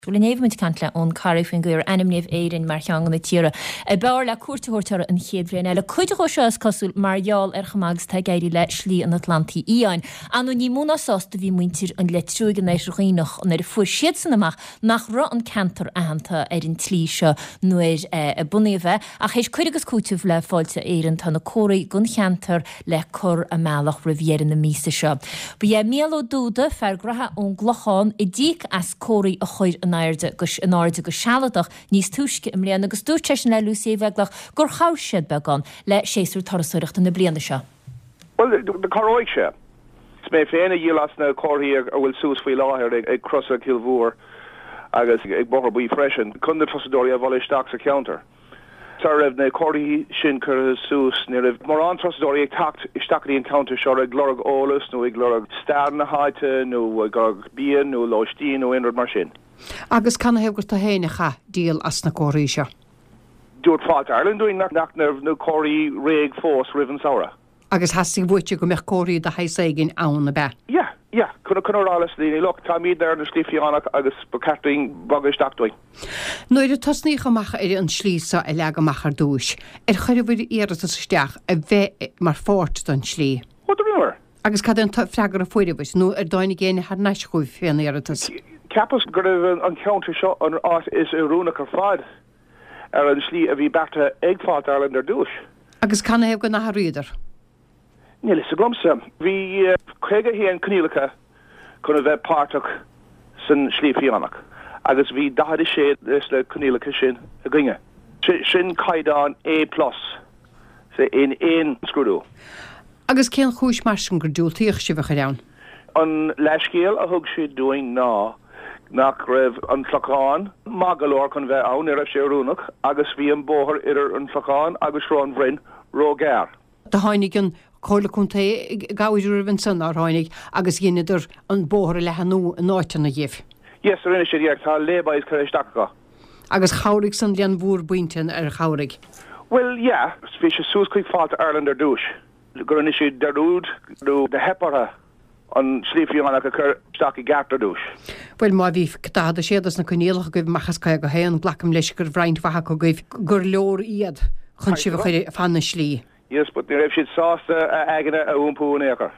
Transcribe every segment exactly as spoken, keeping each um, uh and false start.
Bhuel inné bhí muid ag caint le Eoin Corry faoin gcaoi ar ainmníodh Éirinn mar cheann de na tíortha ab fhearr le cuairt a thabhairt orthu an chéad bhliain eile. Cuid dhó seo is cosúil mar gheall ar chomh maith agus atá ag éirí le Slí an Atlantaigh Fhiáin. Ar ndóigh ní mó ná sásta a bhí muintir an Leitriúigh in Oirthear Dhuibhneach nuair a fuair siadsan amach nach raibh an ceantar aitheanta ar an tslí seo nuair a bunaíodh é. Ach théis cur agus cúiteamh le Fáilte Éireann tá na comharthaí don cheantar le cur i mbealach roimh dheireadh na míosa seo. Ba é Mícheál Ó Dúda, fear graithe ón gClochán, a d'íoc as comharthaí a chur in airde go in airde go sealadach níos túisce i mbliana agus dúirt seisean le Lucy Uí Bheaglaoich gur chabhraigh siad beagán le séasúr turasóireachta na bliana seo. Well, cabhróidh sé. Is mé féin a dhíol as na comharthaí a bhfuil suas faoi láthair ag, ag Crosa Cill Mhór agus ag Bóthar Buí freisin, chun na turasóirí a mhealladh isteach sa cheantar. Sara raibh na comharthaí sin curtha suas ní raibh mórán turasóirí ag teacht isteach an ceantar seo ag lorg eolas nó ag lorg stair na háite nó ag lorg bia nó lóistín nó aon rud mar sin. Agus canathaobh gur tú féin a chaith díol as na comharthaí seo. Dúirt Fáilte Ireland dúinn nach nach na comharthaí réidh fós roimh an samhradh. Agus theastaigh uait go mbeadh comharthaí de shaghas éigin ann ab ea. Yeah, yeah, chun chun rá leis na daoine look táimid ar na Slí Fhiánach agus ba cheart dúinn bogadh isteach dúinn. Nuair a tosnaíodh amach ar an slí seo a leagadh amach ar dtús, ar chuireabhair iarratas isteach a bheith mar pháirt den slí. Ó rinneamar. Agus cad é an freagra a fuaireabhair nó ar dtáinig éinne thar n-ais chugaibh fén iarratas. Cheapas go raibh an ceantar seo an áit is oiriúnach ar fad ar an slí a bhí beartaithe ag Fáilte Ireland ar dtús. Agus canathaobh gur athraíodar. Níl a fhios agamsa. Bhí caoga haon coinníollacha chun a bheith páirteach san slí fiánach, agus bhí daichead a sé leis na coinníollacha sin againne. Sin caighdeán A plus in aon scrúdú. Agus cén chúis mar sin gur diúltaíodh sibh a chur ann? An leithscéal a thug siad dúinn ná nach raibh an Clochán maith go leor chun bheith ann, ní raibh sé oiriúnach, agus bhí an bóthar idir an Clochán agus Sruth an Bhroin róghearr. Do tháinig an Comhairle Contae i gcabhair oraibh ansan nár tháinig agus dheineadar an bóthar a leathnú in áiteanna dhíbh. Yes, rinne siad yeah, tá lay-bys curtha isteach acu. Agus chabhraigh san le bhur bpointe ar chabhraigh. Well, yeah, bhí sé suas chuig Fáilte Ireland ar dtús. Go rinne siad dearúd nó do theip orthu an slí fiánach a chur isteach i gceart ar dtús. Well má bhí daichead a sé dos na coinníollacha agaibh amach as caoga haon, glacaim leis gur roinnt mhaith acu agaibh gur leor iad chun sibh a chur fan na slí. Yes, but ní raibh siad sásta a aigne a iompú in aon chor.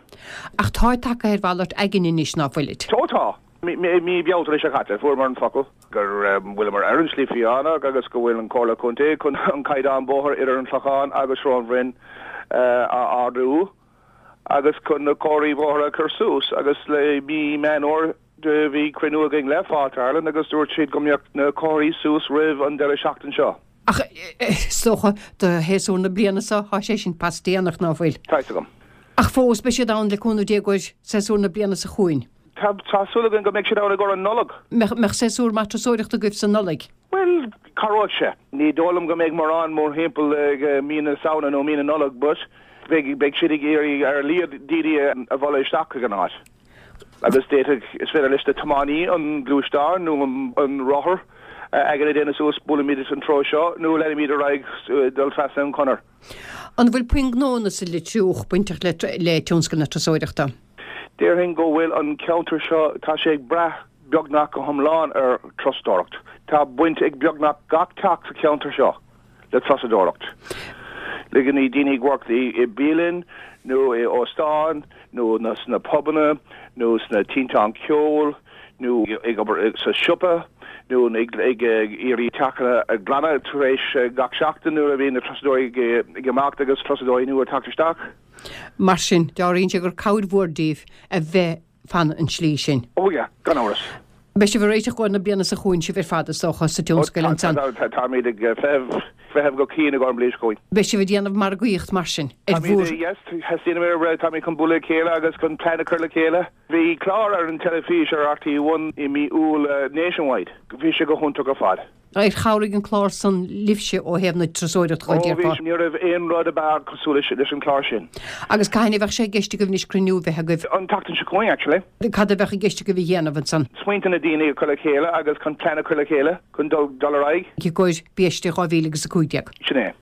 Ach tá tagtha ar mhalairt aigne anois ná fuilid. Tó tá. Mí Bealtaine seo caite fuaireamar an focal gur bhfuileamar ar an slí fiánach agus go bhfuil an Comhairle Contae chun an caighdeán bóthar idir an Clochán agus Sruth an Bhroin a ardú agus chun na comharthaí bóthar a chur suas agus le mí Meán Fómhair do bhí cruinniú againn le Fáilte Ireland agus dúirt siad go mbeadh na comharthaí suas roimh an deireadh seachtain seo. Ach is dócha do shéasúr na bliana seo tá sé sin pas déanach ná fuil. Tá agam. Ach fós beidh siad ann le cúnamh Dé i gcomhair séasúr na bliana seo chugainn. Tá tá súil againn go mbeidh siad ann i gcomhair an Nollaig. Mbeadh séasúr maith turasóireachta agaibh sa Nollaig. Well, cabhróidh sé. Ní dóigh liom go mbeidh mórán mórthimpeall ag mí na Samhna nó mí na Nollag, but beidh beidh siad ag iarraidh ar a laghad daoine a mhealladh isteach chuig an áit. Agus d'fhéadfadh is féidir leis na tiománaí an gluaisteán nó an rothar aigne a dhéanamh suas buailimid an treo seo nó leanaimid ar aghaidh dul trasna an chonair. An bhfuil puinn gnónna sa Leitriúch bainteach le le tionscal na turasóireachta? Déarfainn go bhfuil an ceantar seo tá sé ag brath beagnach go hiomlán ar turasóireacht. Tá baint ag beagnach gach teach sa cheantar seo le turasóireacht. Le daoine daoine ag work i bialann nó i óstán nó na sna pubanna nó sna tinteán ceoil nó ag obair sa siopa nó ag ag iarraidh teachanna a ghlanadh tar éis gach seachtain nuair a bhíonn na turasóirí ag imeacht agus turasóirí nua teacht isteach. Mar sin, dealraíonn sé gur cabhair mhór daoibh a bheith fan an slí sin. Ó yeah, gan amhras. Beidh sibh ag réiteach do na bliana seo chugainn sibh ar fad is dócha sa tionscal ansan. Táimid ag feitheamh feitheamh go cian i gcomhair an bhliain seo chugainn. Beidh sibh ag déanamh margaíocht mar sin ar bhur. Yes, theastaíonn táimid chun bualadh le chéile agus chun plean a chur le chéile. Bhí clár ar an teilifís ar RTÉ One i mí Iúil Nationwide. Bhí sé go hiontach ar fad. Ar chabhraigh an clár san libhse ó thaobh na turasóireachta Ó bhí ní raibh aon rud ab fhearr cosúil leis an clár sin. Agus cathain a bheadh sé i gceist agaibh anois cruinniú bheith agaibh? An tseachtain seo chugainn actually. Cad a bheadh i gceist agaibh a dhéanamh ansan? Smaointe na daoine a chur le chéile agus chun plean a chur le chéile chun dul dul ar aghaidh. I gcomhair biaiste dhá mhíle agus a cúig déag. Sin é.